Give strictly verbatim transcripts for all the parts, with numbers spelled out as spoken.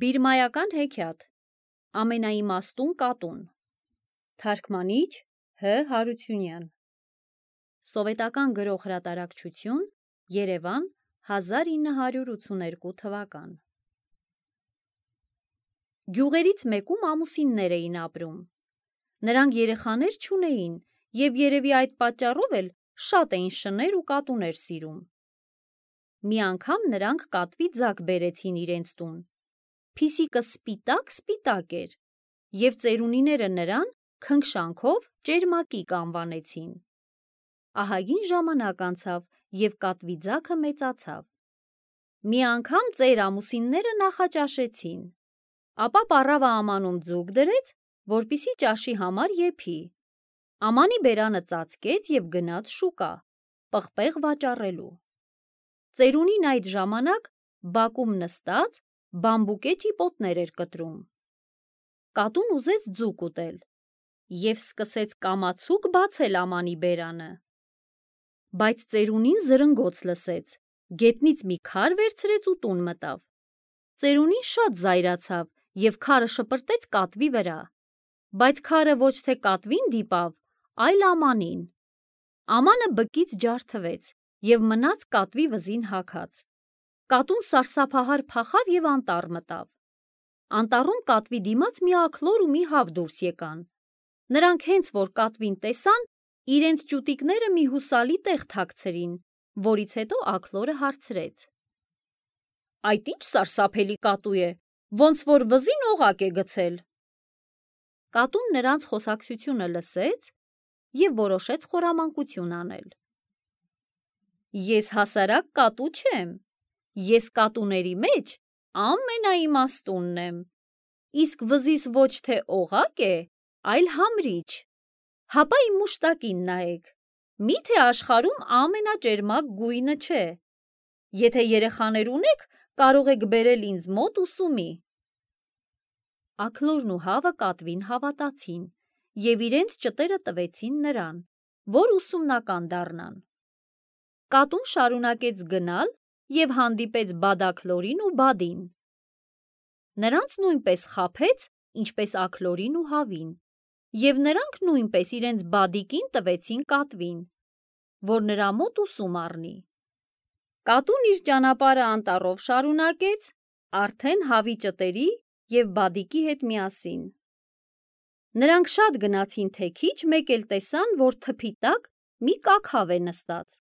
Բիրմայական հեքիաթ Ամենաիմաստուն կատուն Թարգմանիչ Հ. Հարությունյան Սովետական գրող հրատարակչություն Երևան հազար ինը հարյուր ութսուներկու թվական Գյուղերից մեկում ամուսիններ էին ապրում։ Նրանք երեխաներ չունեին և երևի այդ պատճառով էլ շատ էին շներ ու կատուներ սիրում։ Մի անգամ նրանք կատվի ձակ բերեցին իրենց տուն։ Փիսիկը սպիտակ-սպիտակ էր, և ծերունիները նրան քնքշանքով ճերմակիկ անվանեցին։ Ահագին ժամանակ անցավ, և կատվի ձագը մեծացավ։ Մի անգամ ծեր ամուսինները նախաճաշեցին, ապա պառավը ամանում ձուկ դրեց, որպեսզի ճաշի համար եփի։ Ամանի բերանը ծածկեց և գնաց շուկա, պղպեղ վաճառելու։ Ծերունին այդ ժամանակ բակում նստած բամբուկե ճիպոտներ էր կտրում։ Կատուն ուզեց ձուկ ուտել և սկսեց կամացուկ բացել ամանի բերանը։ Բայց ծերունին զրնգոց լսեց, գետնից մի քար վերցրեց ու տուն մտավ։ Ծերունին շատ զայրացավ և քարը շպրտեց կատվի վրա, բայց քարը ոչ թե կատվին դիպավ, այլ ամանին։ Ամանը բկից ջարդվեց և մնաց կատվի վզին հագած։ Կատուն սարսափահար փախավ և անտառ մտավ։ Անտառում կատվի դիմաց մի աքլոր ու մի հավ դուրս եկան։ Նրանք հենց որ կատվին տեսան, իրենց ճուտիկները մի հուսալի տեղ թաքցրին, որից հետո աքլորը հարցրեց. Այդ ի՞նչ սարսափելի կատու է, ոնց որ վզին օղակ է գցել։ Կատուն նրանց խոսակցությունը լսեց և որոշեց խորամանկություն անել. Ես հասարակ կատու չեմ, ես կատուների մեջ ամենաիմաստունն եմ, իսկ վզիս ոչ թե օղակ է, այլ համրիչ։ Հապա իմ մուշտակին նայեք, մի՞թե աշխարհում ամենաճերմակ գույնը չէ։ Եթե երեխաներ ունեք, կարող եք բերել ինձ մոտ ուսումի։ Աքլորն ու հավը կատվին հավատացին և իրենց ճտերը տվեցին նրան, որ ուսումնական դառնան։ Կատուն շարունակեց գնալ և հանդիպեց բադաքլորին ու բադին։ Նրանց նույնպես խաբեց, ինչպես աքլորին ու հավին, և նրանք նույնպես իրենց բադիկին տվեցին կատվին, որ նրա մոտ ուսում առնի։ Կատուն իր ճանապարհը անտառով շարունակեց, արդեն հավի ճտերի և բադիկի հետ միասին։ Նրանք շատ գնացին թե քիչ, մեկ էլ տեսան, որ թփի տակ մի կակ հավ է նստած։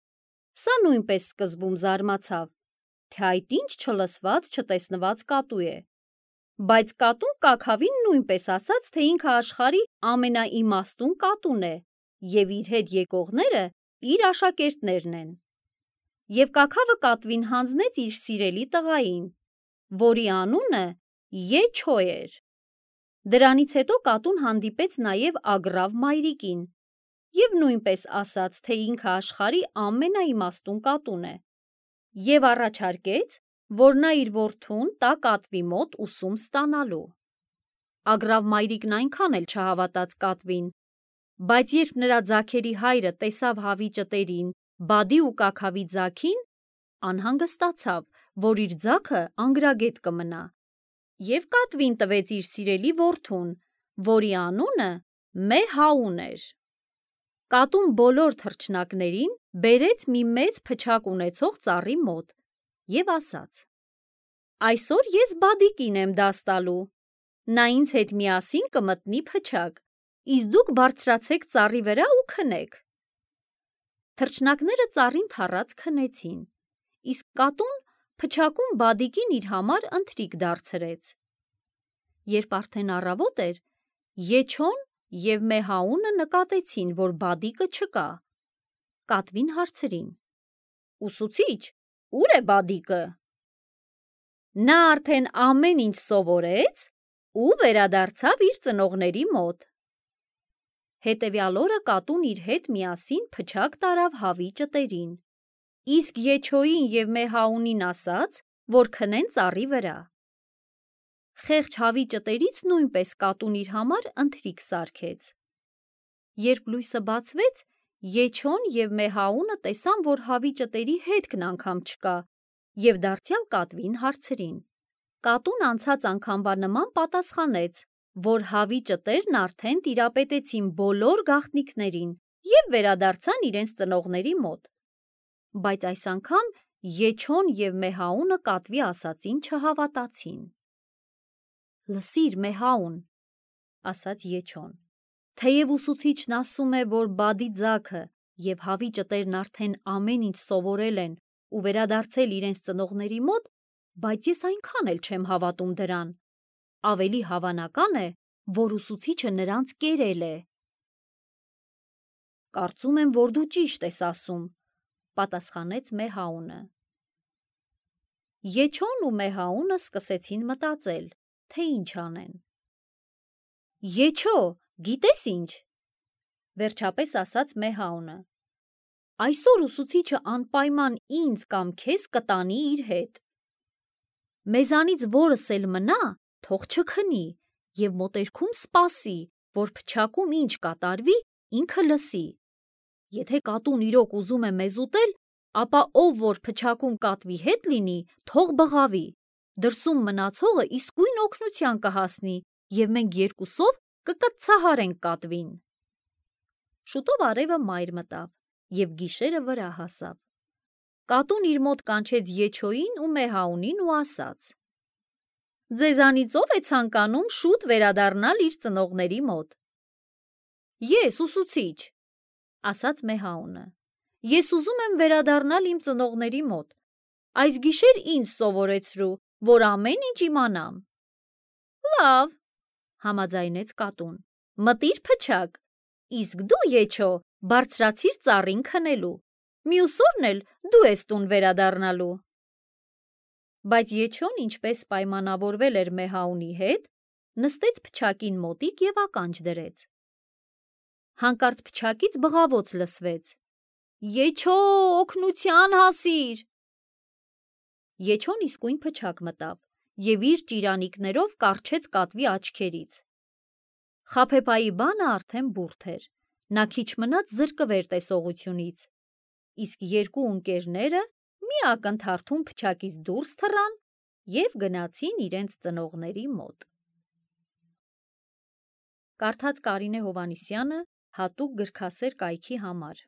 Սա նույնպես սկզբում զարմացավ, թե այդ ինչ չլսված, չտեսնված կատու է, բայց կատուն կաքավին նույնպես ասաց, թե ինքը աշխարհի ամենաիմաստուն կատուն է և իր հետ եկողները իր աշակերտներն են։ Եվ կաքավը կատվին հանձնեց իր սիրելի տղային, որի անունը Եչո էր։ Դրանից հետո կատուն հանդիպեց նաև Ագռավ մայրիկին և նույնպես ասաց, թե ինքը աշխարհի ամենաիմաստուն կատուն է, և առաջարկեց, որ նա իր որդուն տա կատվի մոտ ուսում ստանալու։ Ագռավ մայրիկն այնքան էլ չհավատաց կատվին, բայց երբ նրա ձագերի հայրը տեսավ հավի ճտերին, բադի ու կաքավի ձագին, անհանգստացավ, որ իր ձագը անգրագետ կմնա, և կատվին տվեց իր սիրելի որդուն, որի անունը Մեհաուն էր։ Կատուն բոլոր թռչնակներին բերեց մի մեծ փչակ ունեցող ծառի մոտ և ասաց. Այսօր ես բադիկին եմ դաս տալու, նա ինձ հետ միասին կմտնի փչակ, իսկ դուք բարձրացեք ծառի վրա ու քնեք։ Թռչնակները ծառին թռած քնեցին, իսկ կատուն փչակում բադիկին իր համար ընթրիք դարձրեց։ Երբ արդեն առավոտ էր, Եչոն և Մեհաունը նկատեցին, որ բադիկը չկա։ Կատվին հարցրին. Ուսուցիչ, ո՞ւր է բադիկը։ Նա արդեն ամեն ինչ սովորեց ու վերադարձավ իր ծնողների մոտ։ Հետևյալ օրը կատուն իր հետ միասին փչակ տարավ հավի ճտերին, իսկ Եչոյին և Մեհաունին ասաց, որ քնեն ծառի վրա։ Խեղճ հավի ճտերից նույնպես կատուն իր համար ընթրիք սարքեց։ Երբ լույսը բացվեց, Եչոն և Մեհաունը տեսան, որ հավի ճտերի հետքն անգամ չկա, և դարձյալ կատվին հարցրին. Կատուն անցած անգամվա նման պատասխանեց, որ հավի ճտերն արդեն տիրապետեցին բոլոր գաղտնիքներին և վերադարձան իրենց ծնողների մոտ։ Բայց այս անգամ Եչոն և Մեհաունը կատվի ասածին չհավատացին։ «Լսիր, Մեհաուն», ասաց Եչոն, թեև ուսուցիչն ասում է, որ բադի ձագը և հավի ճտերն արդեն ամեն ինչ սովորել են ու վերադարձել իրենց ծնողների մոտ, բայց ես այնքան էլ չեմ հավատում դրան։ Ավելի հավանական է, որ ուսուցիչը նրանց կերել է։ «Կարծում եմ, որ դու ճիշտ ես ասում», պատասխանեց Մեհաունը։ Եչոն ու Մեհաունը սկսեցին մտածել, թե ինչ անեն։ «Եչո, գիտես ինչ», վերջապես ասաց Մեհաունը, այսօր ուսուցիչը անպայման ինձ կամ քեզ կտանի իր հետ։ Մեզանից որս էլ մնա, թող չքնի և մոտերքում սպասի, որ փչակում ինչ կատարվի, ինքը լսի։ Եթե կատուն իրոք ուզում է մեզ ուտել, ապա ով որ փչակում կատվի հետ լինի, թող բղավի, դրսում մնացողը իսկույն օգնության կհասնի և մենք երկուսով կկծցահարենք կատվին։ Շուտով արևը մայր մտավ և գիշերը վրա հասավ։ Կատուն իր մոտ կանչեց Եչոյին ու Մեհաունին ու ասաց. «Ձեզանից ով է ցանկանում շուտ վերադառնալ իր ծնողների մոտ»։ «Ես, ուսուցիչ», ասաց Մեհաունը, «ես ուզում եմ վերադառնալ իմ ծնողների մոտ։ Այս գիշեր ինձ սովորեցրու, որ ամեն ինչ իմանամ»։ «Լավ», համաձայնեց կատուն, «մտիր փչակ, իսկ դու, Եչո, բարձրացիր ծառին քնելու, մյուս օրն էլ դու ես տուն վերադառնալու»։ Բայց Եչոն, ինչպես պայմանավորվել էր Մեհաունի հետ, նստեց փչակին մոտիկ և ականջ դրեց։ Հանկարծ փչակից բղավոց լսվեց. «Եչո, օգնության հասիր»։ Եչոն իսկույն փչակ մտավ և իր ճիրանիկներով կառչեց կատվի աչքերից։ Խաբեբայի բանը արդեն բուրդ էր, նա քիչ մնաց զրկվեր տեսողությունից, իսկ երկու ընկերները մի ակնթարթում փչակից դուրս թռան և գնացին իրենց ծնողների մոտ։ Կարդաց Կարինե Հովհաննիսյանը հատուկ գրքասեր կայքի համար։